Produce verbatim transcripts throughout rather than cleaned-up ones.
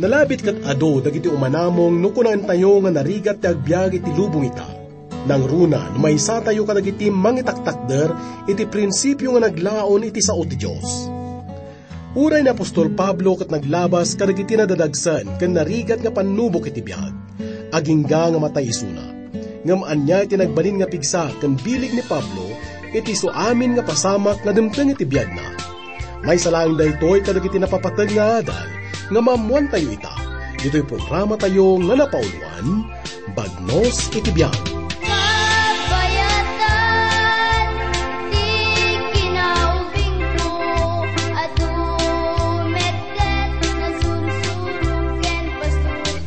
Nalabit ket adu dagiti umanamong no kunaentayo nga narigat ti agbiag iti lubong ita. Nangruna no maysatayo kadagiti mangitaktakder iti prinsipio nga naglaon iti sao ti Dios. Uray ni apostol Pablo ket naglabas kadagiti nadadagsen ken narigat nga pannubok iti biag, agingga nga matay isuna. Ngem ania ti nagbalin nga pigsa ken bileg ni Pablo iti isu amin nga pasamak nga dumteng iti biagna? Maysa laeng daytoy kadagiti napapateg nga adal nga maammoantayo ita ditoy programatayo nga napauloan, Bagnos iti Biag. Kabayatan ti kinaubingko, adu met ket nasursuro ken pasurot.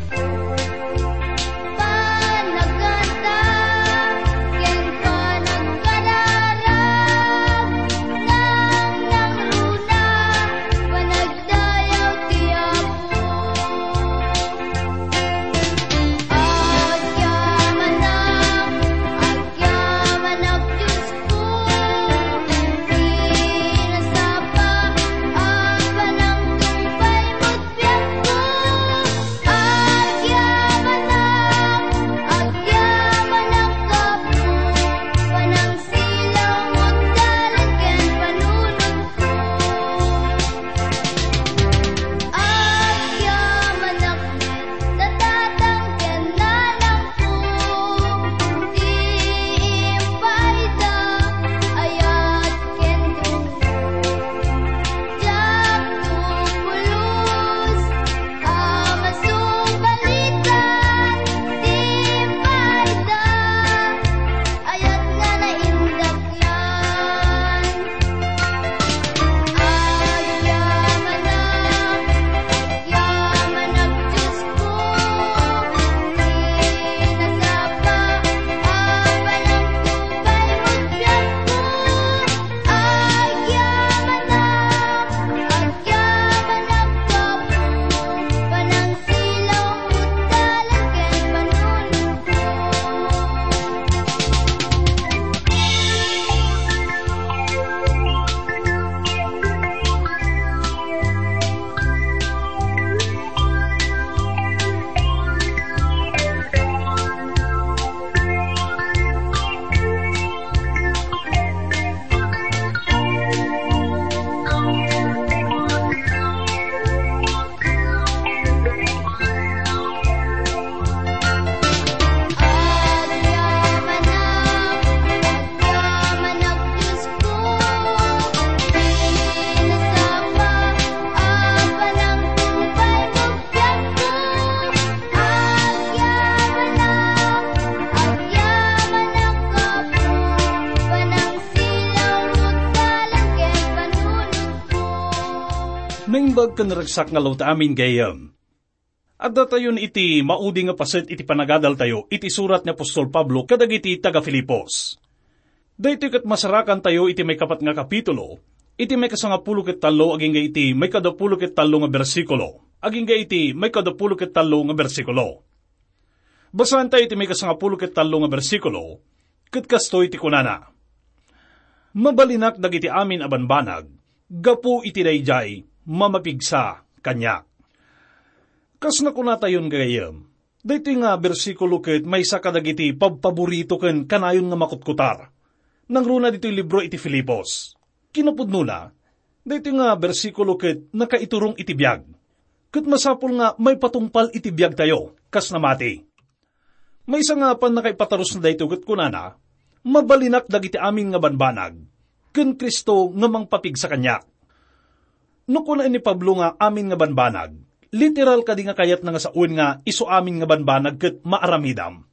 Panagkanta ken panagkararag, nangnangruna, panagdayaw ti Apo. Agyamanak, agyamanak, Dios. Natatangken na lang po ti impaayda, ayat ken dumo. Diak to pulos a masubalitan ti impaayda, ayat nga naindaklan. Agyamanak, agyamanak, Diosko, ti nasapa a panagtubay mo, biagko. Agyamanak, agyamanak, Apo, panangsilaw mo, dalan ken panunotko. Naimbag ken naragsak nga aldaw ta amin, gayyem. Addatayon iti maudi nga paset iti panagadaltayo iti surat ni apostol Pablo kadagiti taga-Filipos. Daytoy ket masarakantayo iti maikapat nga kapitulo, iti maikasangapulo ket tallo agingga iti maikadapulo ket tallo nga bersikulo, agingga iti maikadapulo ket tallo nga bersikulo. Basaentayo iti maikasangapulo ket tallo nga bersikulo, ket kastoy ti kunana: "Mabalinak dagiti amin a banbanag, gapu iti daydiay mamapigsa kaniak." Kas nakunatayon, gayyem, daytoy nga bersikulo ket maysa kadagiti pabpaborito ken kanayon nga makutkutar. Nangruna ditoy libro iti Filipos. Kinapudnona, daytoy nga bersikulo ket nakaiturong iti biag. Ket masapul nga maipatungpal iti biagtayo, kas namati. Maysa nga pannakaipatarusna daytoy ket kunana, "Mabalinak dagiti amin nga banbanag, ken Cristo nga mangpapigsa kaniak." No kuna ni Pablo nga amin nga banbanag, literal kadi nga kayatna nga sawen nga isu amin nga banbanag ket maaramidam?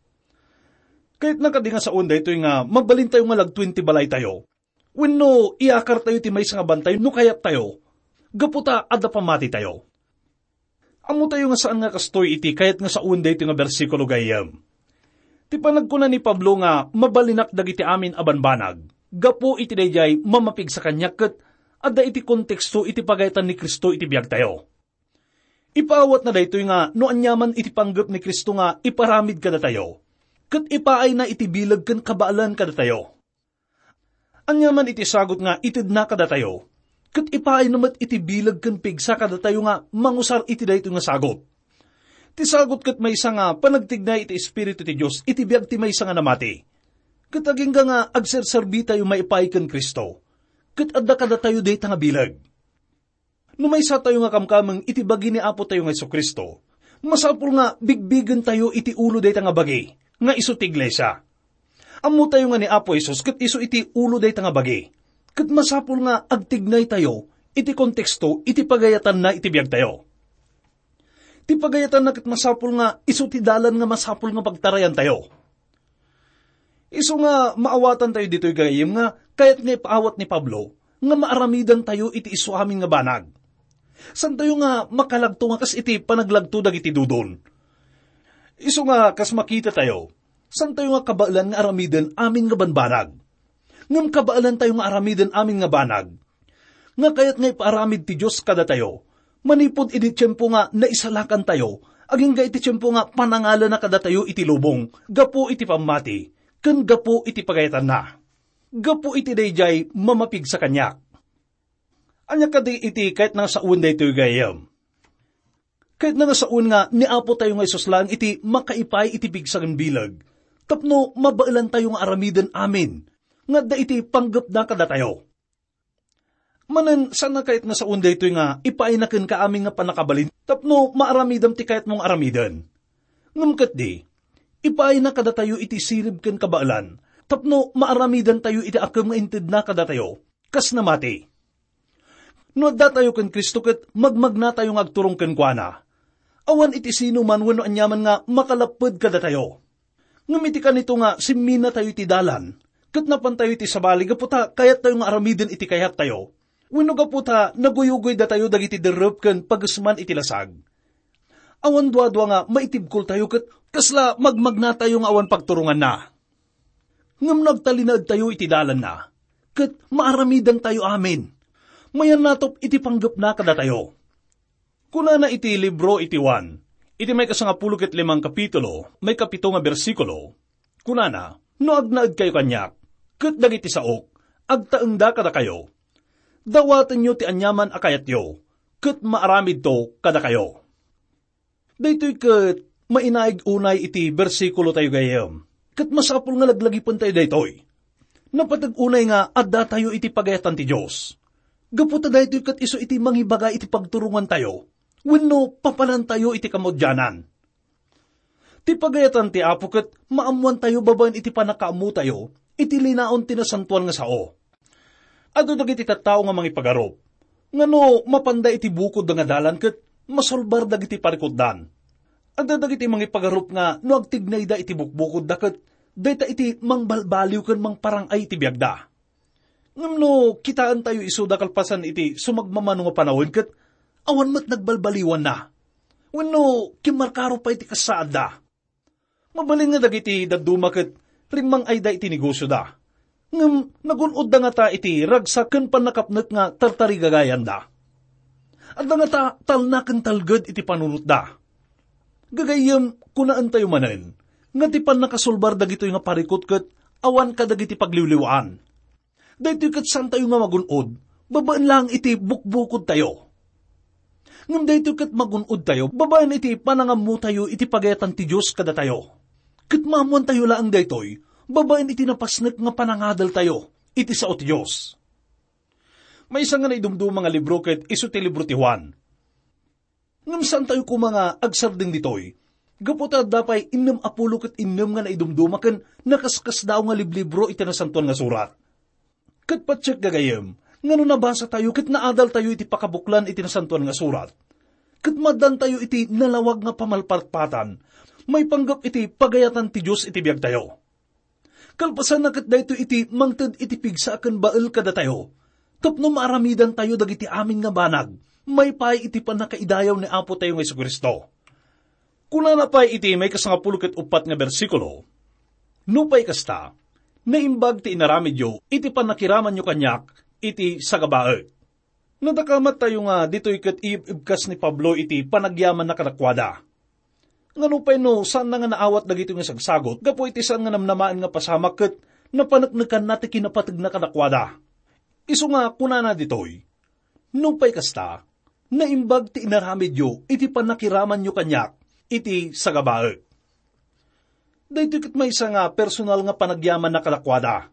Kayatna kadi nga sawen daytoy nga mabalintayo nga lagtoen ti balaytayo? Wenno iyakartayo ti maysa nga bantay no kayattayo, gapu ta adda pammatitayo? Ammotayo nga saan nga kastoy iti kayat nga sawen daytoy nga bersikulo, gayyem. Ti panagkuna ni Pablo nga, "Mabalinak dagiti amin a banbanag," gapu iti daydiay mamapigsa kaniak ket adda iti konteksto iti pagayatan ni Cristo iti biagtayo. Ipaawatna daytoy nga no aniaman iti panggep ni Cristo nga iparamid kadatayo, ket ipaayna iti bileg ken kabaelan kadatayo. Aniaman iti sagut nga itedna kadatayo, ket ipaayna met iti bileg ken pigsa kadatayo nga mangusar iti daytoy nga sagut. Ti sagut ket maysa nga panagtignay iti Espiritu ti Dios iti biag ti maysa nga namati. Ket agingga nga agserserbitayo maipaay ken Cristo, ket adda kadatayo dayta nga bileg. No maysatayo nga kamkameng iti bagi ni Apo tayo nga Jesu-Cristo, masapul nga bigbigentayo iti ulo dayta nga bagi, nga isu ti iglesia. Ammotayo nga ni Apo Jesus ket isu iti ulo dayta nga bagi, ket masapul nga agtignaytayo iti konteksto iti pagayatanna iti biagtayo. Ti pagayatanna ket masapul nga isu ti dalan nga masapul nga pagtarayantayo. Isu nga maawatantayo ditoy gagayyem nga kayat nga ipaawat ni Pablo nga maaramidantayo iti isu amin nga banag. Santayo nga makalagto nga kas iti panaglagto dagiti dudon. Isu nga kas makitatayo, santayo nga kabaelan nga aramiden amin nga banbanag. Ngem kabaelantayo nga aramiden amin nga banag nga kayat nga ipaaramid ti Dios kadatayo, manipud idi tiempo nga naisalakantayo, agingga iti tiempo nga panangalana kadatayo iti lubong gapu iti pammati ken gapu iti pagayatanna. Gapu iti daydiay, mamapigsa kaniak. Ania kadi iti kayatna nga sawen daytoy gayam? Kayatna nga sawen nga ni Apo tayo nga Jesus laeng iti makaipaay iti pigsa ken bileg tapno mabaelantayo nga aramiden amin nga adda iti panggepna kadatayo. Manen, saan a kayat nga sawen daytoy nga ipaayna kenka amin nga pannakabalin tapno maaramidam ti kayatmo nga aramiden. Ngem ketdi, ipaayna kadatayo iti sirib ken kabaelan tapno maaramidantayo iti akem nga intedna kadatayo kas namati. No addatayo ken Cristo ket magmagnatayo nga agturong kenkuana. Awan iti sino man wenno aniaman nga makalapped kadatayo. Ngem iti kanito nga simminatayo iti dalan, ket napantayo iti sabali gapu ta kayattayo nga aramiden iti kayattayo, wenno gapu ta naguyugoydatayo dagiti derrep ken pagesman iti lasag. Awan duadua nga maitibkoltayo ket kasla magmagnatayo nga awan pagturonganna. Ngem no agtalinaedtayo iti dalanna, ket maaramidantayo amin. Mayannatop iti panggepna kadatayo. Kunana iti libro iti Juan, iti maikasangapulo ket limang kapitulo, maikapito nga bersikulo, kunana, "No agnaedkayo kaniak, ket dagiti saok, agtaengda kadakayo. Dawatenyo ti aniaman a kayatyo, ket maaramidto kadakayo." Daytoy ket mainaig unay iti bersikulo tayo gayam, ket masapul nga laglagipentayo daytoy. Napateg unay nga addatayo iti pagayatan ti Dios. Gapu ta daytoy ket isu iti mangibaga iti pagturongantayo wenno papanantayo iti kamaudianan. Ti pagayatan ti Apo ket maammoantayo babaen iti pannakaammotayo iti linaon ti nasantoan nga sao. Adu dagiti tattao nga mangipagarup nga no mapanda iti bukodda nga dalan ket masulbar dagiti parikutdan. Adda dagiti mangipagarup nga no agtignayda iti bukbukodda ket dayta iti mangbalbaliw ken mangparang-ay iti biagda. Ngem no kitaentayo isuda kalpasan iti sumagmamano nga panawen ket awan met nagbalbaliwanna, wenno kimmarkaro pay ti kasaadda. Mabalin nga dagiti dadduma ket rimmang-ayda iti negosioda, ngem nagun-odda ngata iti ragsak ken pannakapnek nga tartarigagayanda. Adda ngata talna ken talged iti panunotda. Gagayyem, kunaentayo manen nga ti pannakasulbar dagitoy nga parikut ket awan kadagiti pagliwliwaan. Daytoy ket saantayo nga magun-od babaen laeng iti bukbukodtayo. Ngem daytoy ket magun-odtayo babaen iti panangammotayo iti pagayatan ti Dios kadatayo. Ket maammoantayo laeng daytoy babaen iti napasnek nga panangadaltayo iti sao ti Dios. Maysa nga naidumduma nga libro ket isu ti libro ti Juan. Ngem saantayo koma nga agsardeng ditoy, gapu ta adda pay innem a pulo ket innem nga naidumduma ken nakaskasdaaw nga liblibro iti Nasantoan nga Surat. Ket patiek gagayyem nga no nabasatayo ket naadaltayo iti pakabuklan iti Nasantoan nga Surat, ket maaddantayo iti nalawag nga pamalpatpatan maipanggep iti pagayatan ti Dios iti biagtayo. Kalpasanna ket daytoy iti mangted iti pigsa ken bael kadatayo, tapno maaramidantayo dagiti amin nga banag maipaay iti pannakaidayaw ni Apo tayo nga Jesu-Cristo. Kunana pay iti maikasangapulo ket uppat nga bersikulo, "Nupay kasta, naimbag ti inaramidyo iti pannakiramanyo kaniak iti sagabaek." Nadakamattayo nga ditoy ket iyeb-ebkas ni Pablo iti panagyamanna kadakuada. Nga nupay no saanna nga naawat dagitoy nga sagsagut gapu iti saan nga namnamaen nga pasamak ket napaneknekanna ti kinapategna kadakuada. Isu nga kunana ditoy, "Nupay kasta, naimbag ti inaramidyo iti pannakiramanyo kaniak iti sagabaek. Daytoy ket maysa nga personal nga panagyamanna kadakuada.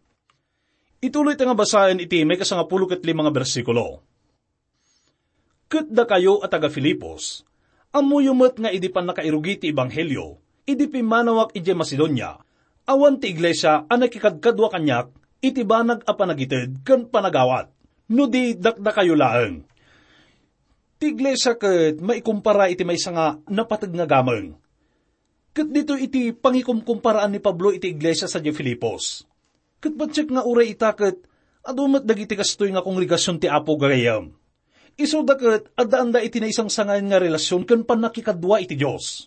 Ituloy ta nga basaen iti maikasangapulo ket lima nga bersikulo. Ket dakayo a taga-Filipos, ammoyo met nga idi pannakairugi ti ebanghelio, idi pimmanawak idiay Macedonia, awan ti iglesia a nakikadkadua kaniak iti banag a panagited ken panagawat, no di dakdakayo laeng. Ti iglesia ket maikumpara iti maysa nga napateg nga gameng. Ket ditoy iti pangikumkumparaan ni Pablo iti iglesia sadiay Filipos. Ket patiek nga uray ita ket adu met dagiti kastoy nga kongregasion ti Apo gagayyem. Isuda ket addaanda iti naisangsangayan nga relasion ken pannakikadua iti Dios.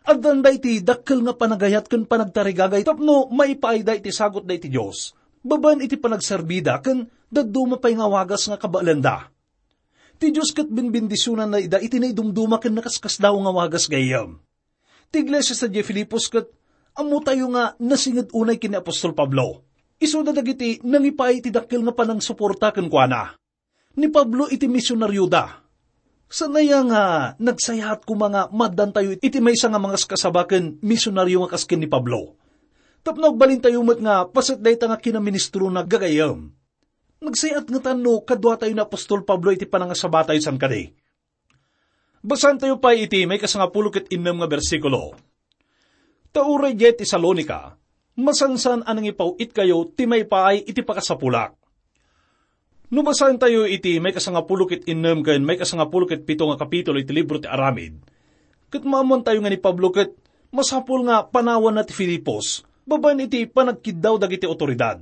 Addaanda iti dakkel nga panagayat ken panagtarigagay tapno maipaayda iti sagutda iti Dios, babaen iti panagserbida ken dadduma pay nga wagas nga kabaelenda. Ti Dios ket benbendisionanna ida iti naidumduma ken nakaskasdaaw nga wagas gayyem. Ti iglesia sadiay Filipos ket ammotayo nga nasinged unay ken ni apostol Pablo. Isuda dagiti nangipaay iti dakkel nga panangsuporta kenkuana. Ni Pablo iti misionarioda. Saan aya nga nagsayaat koma nga maaddantayo iti maysa nga mangaskasaba ken misionario nga kas ken ni Pablo? Tapno agbalintayo met nga paset dayta nga kinaministrona gagayyem. Nagsayaat ngatan no kaduatayo ni apostol Pablo iti panangasabatayo, saan kadi? Basaentayo pay iti maikasangapulo ket innem nga bersikulo. Ta uray idiay Tesalonica, masansan a nangipaw-itkayo ti maipaay iti pakasapulak. No basaentayo iti maikasangapulo ket innem ken maikasangapulo ket pito nga kapitulo iti libro ti Aramid, ket maammoantayo nga ni Pablo ket masapul nga panawanna ti Filipos babaen iti panagkiddaw dagiti awtoridad.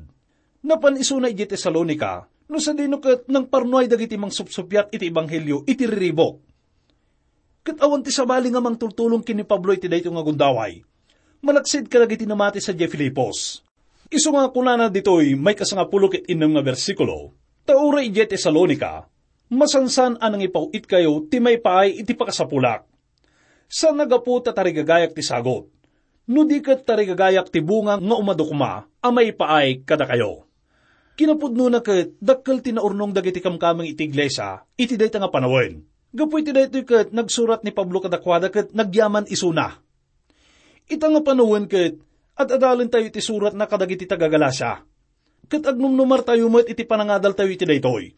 Napan isuna idiay Tesalonica, no sadino ket nangparnuay dagiti mangsupsuppiat iti ebanghelio iti riribuk. Ket awan ti sabali nga mangtultulong ken ni Pablo iti daytoy nga gundaway, malaksid kadagiti namati sadiay Filipos. Isu nga kunana ditoy maikasangapulo ket innem nga bersikulo, ta uray idiay Tesalonica, masansan a nangipaw-itkayo ti maipaay iti pakasapulak. Saan a gapu ta tarigagayak ti sagut, no di ket tarigagayak ti bunga nga umadu koma a maipaay kadakayo. Kinapudnona ket dakkel ti naurnong dagiti kamkameng iti iglesia iti dayta nga panawen. Gapu iti daytoy ket nagsurat ni Pablo kadakuada ket nagyaman isuna. Ita nga panawen ket ad-adalentayo iti suratna kadagiti taga-Galacia. Ket agnumnumartayo met iti panangadaltayo iti daytoy.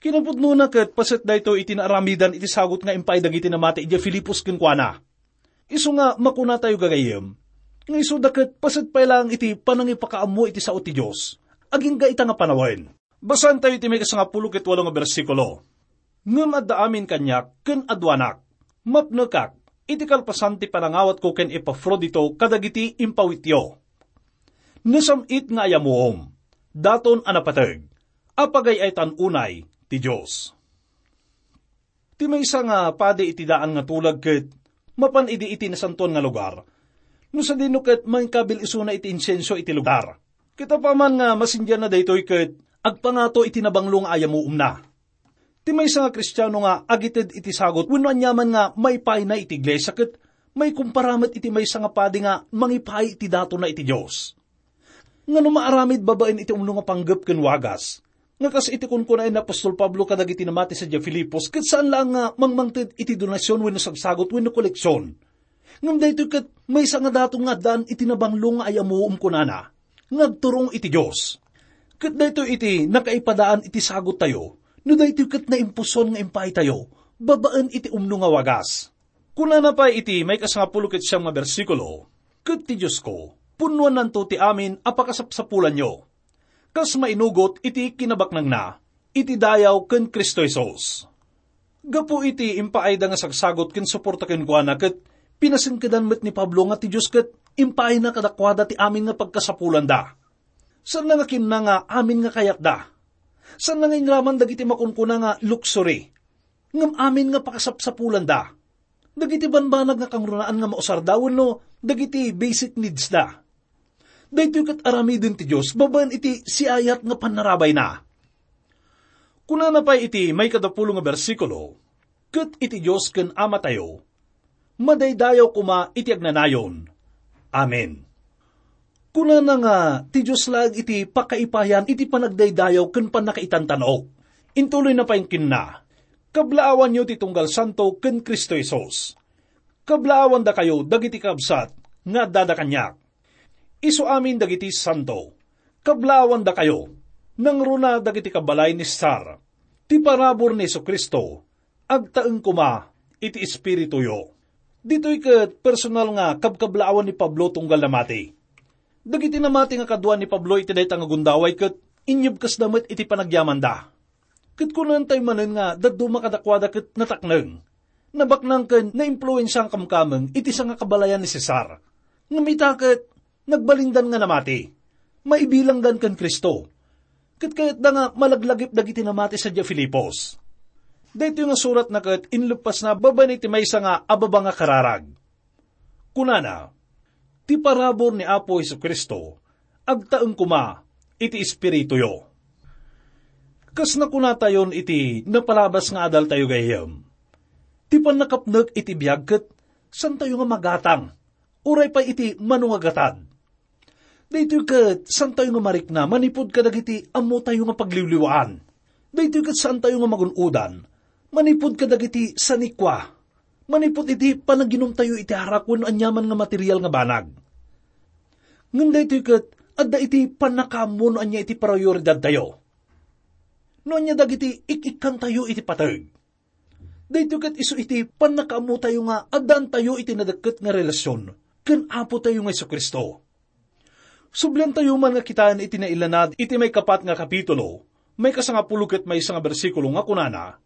Kinapudnona ket paset daytoy iti naaramidan iti sagut nga impaay dagiti namati idiay Filipos kenkuana. Isu nga makunatayo gagayyem, nga isuda ket paset pay laeng iti panangipakaammo iti sao ti Dios, agingga ita nga panawen. Basaentayo iti maikasangapulo ket walo nga bersikulo. Ngem adda amin kaniak ken aduanak. Mapnekak iti kalpasan ti panangawatko ken Epafrodito kadagiti impawityo. Nasam-it nga ayamuom, daton a napateg, a pagay-aytan unay ti Dios. Ti maysa nga padi iti daan nga tulag ket mapan idi iti nasantoan nga lugar, no sadino ket mangikabil isuna iti insenso iti lugar. Ket apaman nga masindianna daytoy ket agpangato iti nabanglo nga ayamuomna. Ti maysa nga Kristiano nga agited iti sagut wenno aniaman nga maipayna iti iglesia ket maikumpara met iti maysa nga padi nga mangipay iti datonna iti Dios. Ngano maaramid babaen iti umno nga panggep ken wagas, nga kas iti kunkunaen ni apostol Pablo kadagiti namati sadiay Filipos, ket saan laeng nga mangmangted iti donasion wenno sagsagut wenno koleksion. Ngem daytoy ket maysa nga daton nga addaan iti nabanglo nga ayamuom, kunana, nga agturong iti Dios. Ket daytoy iti nakaipadaan iti saguttayo, no daytoy ket naimpuson nga impaytayo babaen iti umno nga wagas. Kunana pay iti maikasangapulo ket siam nga bersikulo, "Ket ti Diosko, punnoannanto ti amin a pakasapsapulanyo, kas mainugot iti kinabaknangna, iti dayaw ken Cristo Jesus." Gapu iti impaayda nga sagsagut ken suporta kenkuana, ket pinasengkedan met ni Pablo nga ti Dios ket impaayna kadakuada ti amin nga pagkasapulanda. Saanna nga kinuna nga amin nga kayatda. Saanna nga inraman dagiti makunkuna nga luxury. Ngem amin nga pakasapsapulanda. Dagiti banbanag nga kangrunaan nga mausarda wenno dagiti basic needs da. Daytoy ket aramiden ti Dios babaen iti siayat nga pannarabayna. Kunana pay iti maikadapulo nga bersikulo, "Ket iti Dios ken Amatayo, madaydayaw koma iti agnanayon. Amen." Kunana nga ti Dios laeng iti pakaipayan iti panagdaydayaw ken pannakaitantan-ok. Intuloyna pay kinuna, "Kablaawanyo ti tunggal santo ken Cristo Jesus." Kablaawandakayo dagiti kabsat nga addada kaniak. Isu amin dagiti santo. Kablaawandakayo. Nangruna dagiti kabalay ni Cesar. Ti parabur ni Jesu-Cristo, agtaeng koma iti espirituyo. Ditoy ket personal nga kabkablaawan ni Pablo tunggal namati. Dagiti namati nga kadua ni Pablo iti dayta nga gundaway ket inyebkesda met iti panagyamanda. Ket kunantayo manen nga dadduma kadakuada ket natakneng, nabaknang ken naimpluensiaen kamkameng iti sangakabalayan ni Cesar. Ngem ita ket nagbalindan nga namati. Maibilangdan ken Cristo. Ket kayatda nga malaglagip dagiti namati sadiay Filipos. Daytoy nga suratna ket inleppasna babaen iti maysa nga ababa nga kararag. Kunana, "Ti parabur ni Apo Jesu-Cristo, agtaeng koma iti espirituyo." Kas nakunatayon iti napalabas nga adaltayo gayam, ti pannakapnek iti biag ket santayo nga magatang, uray pay iti mano nga gatad. Daytoy ket saantayo nga marikna manipud kadagiti ammotayo nga pagliwliwaan. Daytoy ket saantayo nga magun-odan manipud kadagiti sanikua, manipud iti panaginumtayo iti arak wenno aniaman nga material nga banag. Ngem daytoy ket adda iti pannakaammo no ania iti prioridadtayo. No ania dagiti ik-ikkantayo iti pateg. Daytoy ket isu iti pannakaammotayo nga addaantayo iti nadekket nga relasion ken Apotayo nga Jesu-Cristo. Subliantayo man nga kitaen iti nailanad iti maikapat nga kapitulo, maikasangapulo ket maysa nga bersikulo nga kunana,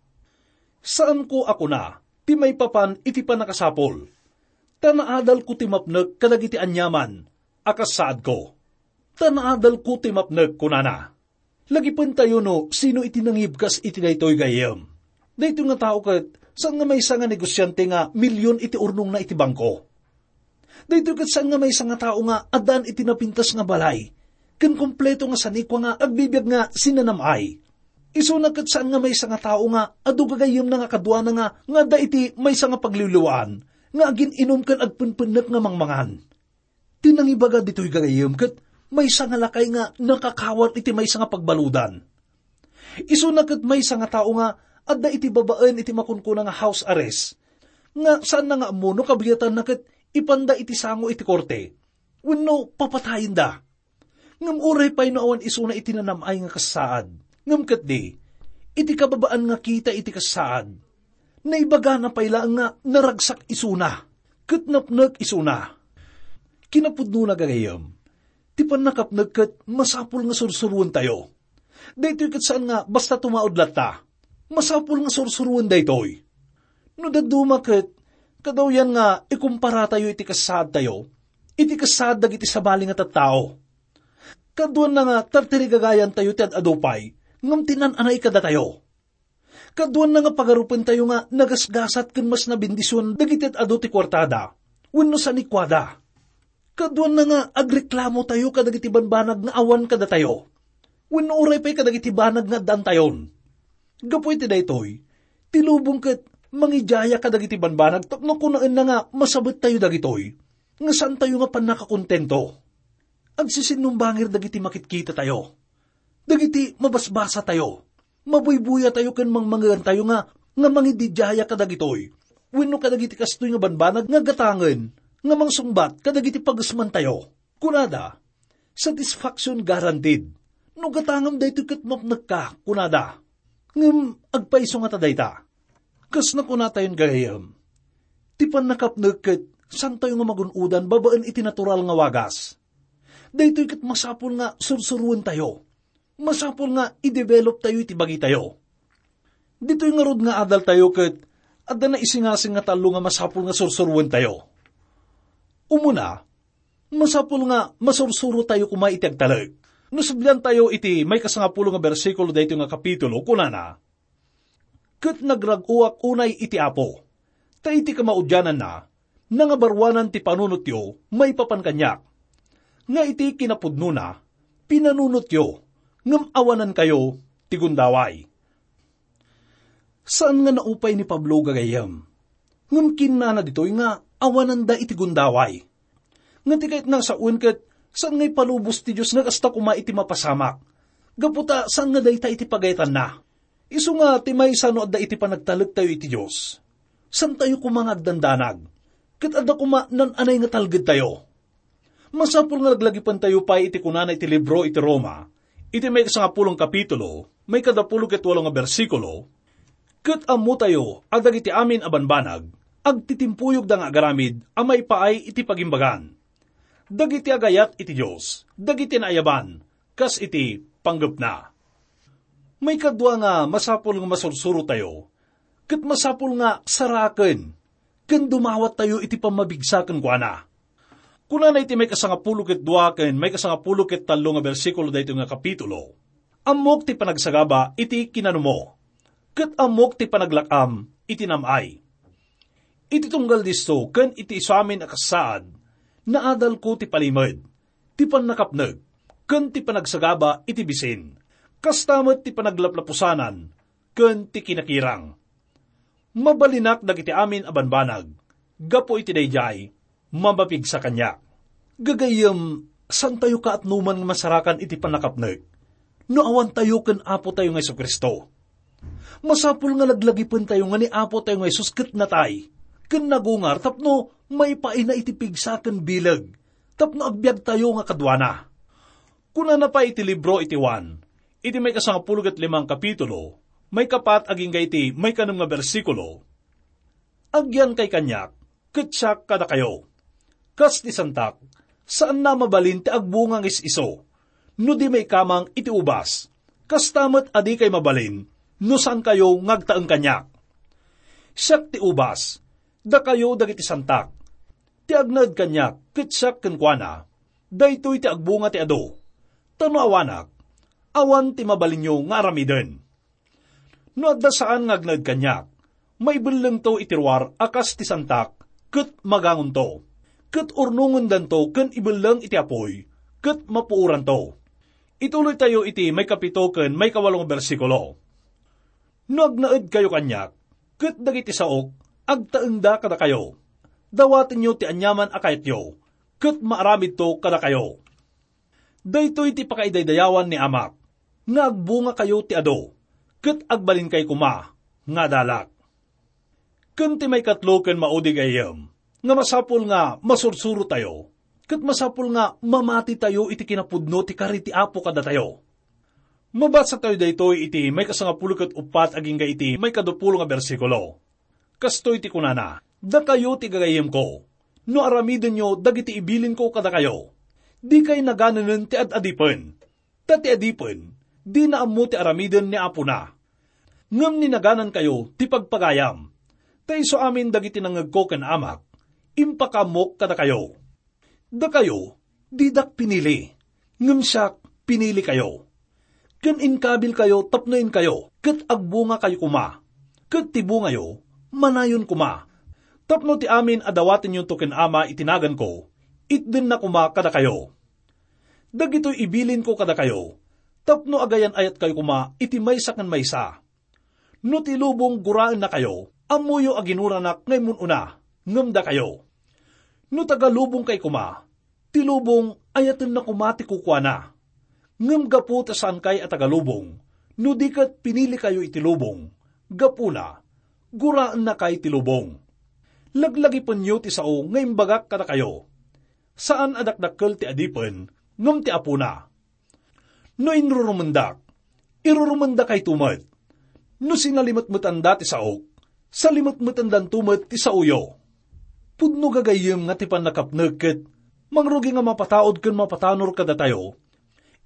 "Saanko a kuna ti maipapan iti pannakasapul, ta naadalko ti mapnek kadagiti aniaman a kas saadko. Ta naadalko ti mapnek," kunana. Lagipentayo no sino iti nangibkas iti daytoy gayam. Daytoy nga tao ket saan nga maysa nga negosiante nga milion iti urnongna iti bangko. Daytoy ket saan nga maysa nga tao nga addaan iti napintas nga balay ken kompleto nga sanikua nga agbibiag nga sinanam-ay. Isuna ket saan nga maysa nga tao nga adu gagayyemna nga kaduana nga, nga adda iti maysa nga pagliwliwaan nga agin-inum ken agpenpennek nga mangmangan. Ti nangibaga ditoy gagayyem ket maysa nga lakay nga nakakawan iti maysa nga pagbaludan. Isuna ket maysa nga tao nga adda iti babaen iti makunkuna nga house arrest, nga saanna nga ammo no kabiatanna ket ipanda iti sango iti korte wenno papatayenda. Ngem uray pay no awan isuna iti nanam-ay nga kasaad, ngem ketdi, iti kababaan nga kita iti kasaad, naibagana pay laeng nga naragsak isuna ket napnek isuna. Kinapudnona gagayyem, ti pannakapnek ket masapul nga sursuruentayo. Daytoy ket saan nga basta tumaud latta. Masapul nga sursuroen daytoy. No dadduma ket, kadawyan nga ikumparatayo iti kasaadtayo iti kasaad dagiti sabali nga tattao. Kaduanna nga tartirigagayantayo ti ad-adu pay ngem ti nan-anay kadatayo. Kaduanna nga pagarupentayo nga nagasgasat ken mas nabendision dagiti ad-adu ti kuartada wenno sanikuada. Kaduanna nga agreklamotayo kadagiti banbanag nga awan kadatayo wenno uray pay kadagiti banag nga addaantayon. Gapu iti daytoy, ti lubong ket mangidiaya kadagiti banbanag tapno kunaenna nga masabettayo dagitoy nga saantayo nga pannakakontento. Agsisinumbangir dagiti makitkitatayo, dagiti mabasbasatayo, mabuybuyatayo ken mangmangeantayo nga, nga mangididiaya kadagitoy wenno kadagiti kastoy nga banbanag nga gatangen nga mangsungbat kadagiti pagesmantayo. Kunada, "Satisfaction guaranteed. No gatangem daytoy ket mapnekka," kunada. Ngem agpayso ngata dayta. Kas nakunatayon gagayyem, ti pannakapnek ket saantayo nga magun-odan babaen iti natural nga wagas. Daytoy ket masapul nga sursuroentayo. Masapul nga i-developtayo iti bagitayo. Ditoy ngarud nga adaltayo ket adda naisingasing nga tallo nga masapul nga sursuroentayo. Umuna, masapul nga masursurotayo koma iti agtalek. No subliantayo iti maikasangapulo nga bersikulo daytoy nga kapitulo, kunana, "Ket nagrag-oak unay iti Apo, ta iti kamaudiananna, nangabaruanan ti panunotyo maipapan kaniak, nga iti kinapudnona, pinanunotyo, ngem awanankayo ti gundaway." Saan nga naupay ni Pablo gagayyem. Ngem kinnana ditoy nga awananda iti gundaway. Nga ti kayatna a sawen ket saan nga ipalubos ti Dios nga kasta koma iti mapasamak. Gapu ta saan nga dayta iti pagayatanna. Isu nga ti maysa no adda iti panagtalektayo iti Dios, saantayo koma nga agdandanag. Ket adda koma nan-anay nga talgedtayo. Masapul nga laglagipentayo pay iti kunana iti libro iti Roma, iti maikasangapulong kapitulo, maikadapulo ket walo nga bersikulo, "Ket ammotayo a dagiti amin a banbanag, agtitimpuyogda nga agaramid a maipaay iti pagimbagan. Dagiti agayat iti Dios, dagiti naayaban, kas iti panggepna." Maikadua nga masapul nga masursurotayo, ket masapul nga saraken ken dumawattayo iti pammabigsa kenkuana. Kunana iti maikasangapulo ket dua ken maikasangapulo ket tallo nga bersikulo daytoy nga kapitulo, "Ammok ti panagsagaba iti kinanumo, ket ammok ti panaglak-am iti nam-ay." Iti tunggal disto ken iti isu amin a kasaad, naadalko ti palimed, ti pannakapnek, ken ti panagsagaba iti bisin, kasta met ti panaglaplapusanan ken ti kinakirang. Mabalinak dagiti amin a banbanag, gapu iti daydiay, mamapigsa kaniak. Gagayyem, saantayo kaatnoman nga masarakan iti pannakapnek no awantayo ken Apotayo nga Jesu-Cristo. Masapul nga laglagipentayo nga ni Apotayo nga Jesus ket natay ken nagungar tapno maipaayna iti pigsa ken bileg, tapno agbiagtayo nga kaduana. Kunana pay iti libro iti Juan, iti maikasangapulo ket limang kapitulo, maikapat agingga iti maikanem nga bersikulo, "Agyankay kaniak, ket siak kadakayo. Kas ti santak, saanna a mabalin ti agbunga nga is-isu, no di maikamang iti ubas. Kasta met a dikay mabalin, no saankayo nga agtaeng kaniak. Siak ti ubas, dakayo dagiti santak. Ti agnaed kaniak, ket siak kenkuana, daytoy ti agbunga ti adu. Ta no awanak, awan ti mabalinyo nga aramiden. No adda saan nga agnaed kaniak, maibellengto iti ruar a kas ti santak, ket magangonto, ket urnongendanto ken ibelleng iti apuy, ket mapuoranto." Ituloytayo iti maikapito ken maikawalo nga bersikulo. "No agnaedkayo kaniak, ket dagiti saok, agtaengda kadakayo. Dawatenyo ti aniaman a kayatyo, ket maaramidto kadakayo. Daytoy ti pakaidaydayawan ni Amak, nga agbungakayo ti adu, ket agbalinkay koma nga adalak." Ken ti maikatlo ken maudi, gayyem, nga masapul nga masursurotayo, ket masapul nga mamatitayo iti kinapudno ti kari ti Apo kadatayo. Mabasatayo daytoy iti maikasangapulo ket uppat agingga iti maikadupulo nga bersikulo. Kastoy ti kunana, "Dakayo ti gagayyemko, no aramidenyo dagiti ibilinko kadakayo, dikay naganenen ti ad-adipen. Ta ti adipen, dina ammo ti aramiden ni apona. Ngem ni naganankayo ti pagpagayam. Ta isu amin dagiti nangngegko ken Amak, impakaammok kadakayo. Dakayo, didak pinili, ngem siak, pinilikayo. Ken inkabilkayo tapno inkayo, ket agbungakayo koma. Ket ti bungayo, manayon koma. Tapno ti amin a dawatenyonto ken Ama iti naganko, itdenna koma kadakayo. Dagitoy ibilinko kadakayo, tapno agayan-ayatkayo koma iti maysa ken maysa. No ti lubong guraennakayo, ammoyo a ginuranak nga immun-una, ngem dakayo. No taga-lubongkay koma, ti lubong ayatenna koma ti kukuana. Ngem gapu ta saankay a taga-lubong, no di ket pinilikayo iti lubong, gapuna, guraennakay ti lubong. Laglagipenyo ti sao nga imbagak kadakayo. Saan a dakdakkel ti adipen, ngem ti apona. No inrurumendak, irurumendakayto met. No sinalimetmetanda ti saok, salimetmetendanto met ti saoyo. Pudno gagayyem nga ti pannakapnek ket mangrugi nga mapataud ken mapatanor kadatayo,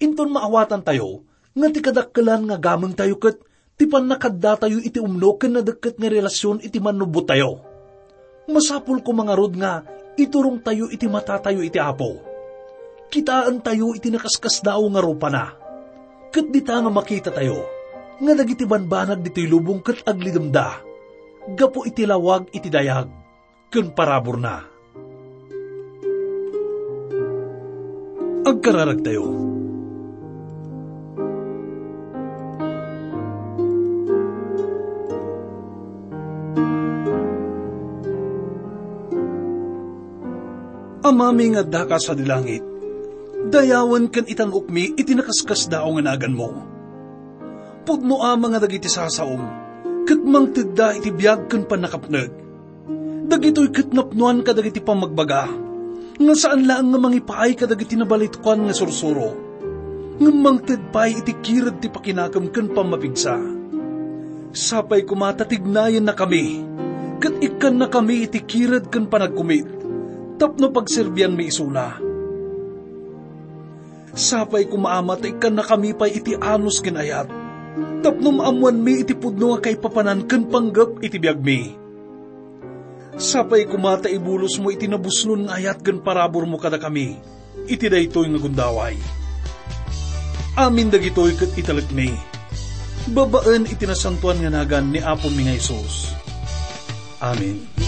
inton maawatantayo nga ti kadakkelan nga gamengtayo ket ti pannakaddatayo iti umno ken nadekket nga relasyon iti mannubbottayo. Masapul koma ngarud nga iturongtayo iti matatayo iti Apo. Kitaentayo iti nakaskasdaaw nga rupana. Ket dita nga makitatayo nga dagiti banbanag ditoy lubong ket aglidemda gapu iti lawag iti dayag ken paraburna. Agkararagtayo. Amami nga addaka sadi langit, dayawen ken itan-okmi iti nakaskasdaaw nga naganmo. Pudno a nga dagiti sasaom, ket mangtedda iti biag ken pannakapneg. Dagitoy ket napnoan kadagiti pammagbaga, nga saan laeng nga mangipaay kadagiti nabalitukan nga sursuro, ngem mangted pay iti kirud ti pakinakem ken pammapigsa. Sapay koma ta tignayennakami, ket ikkannakami iti kirud ken panagkumit, tapno pagserbianmi isuna. Sapay koma, Ama, ta ikkannakami pay iti anus ken ayat, tapno maammoanmi iti pudno nga kaipapanan ken panggep iti biagmi. Sapay koma ta ibulosmo iti nabusnon nga ayat ken paraburmo kadakami iti daytoy nga gundaway. Amin dagitoy ket italekmi, babaen iti nasantoan nga nagan ni Apomi nga Jesus. Amen.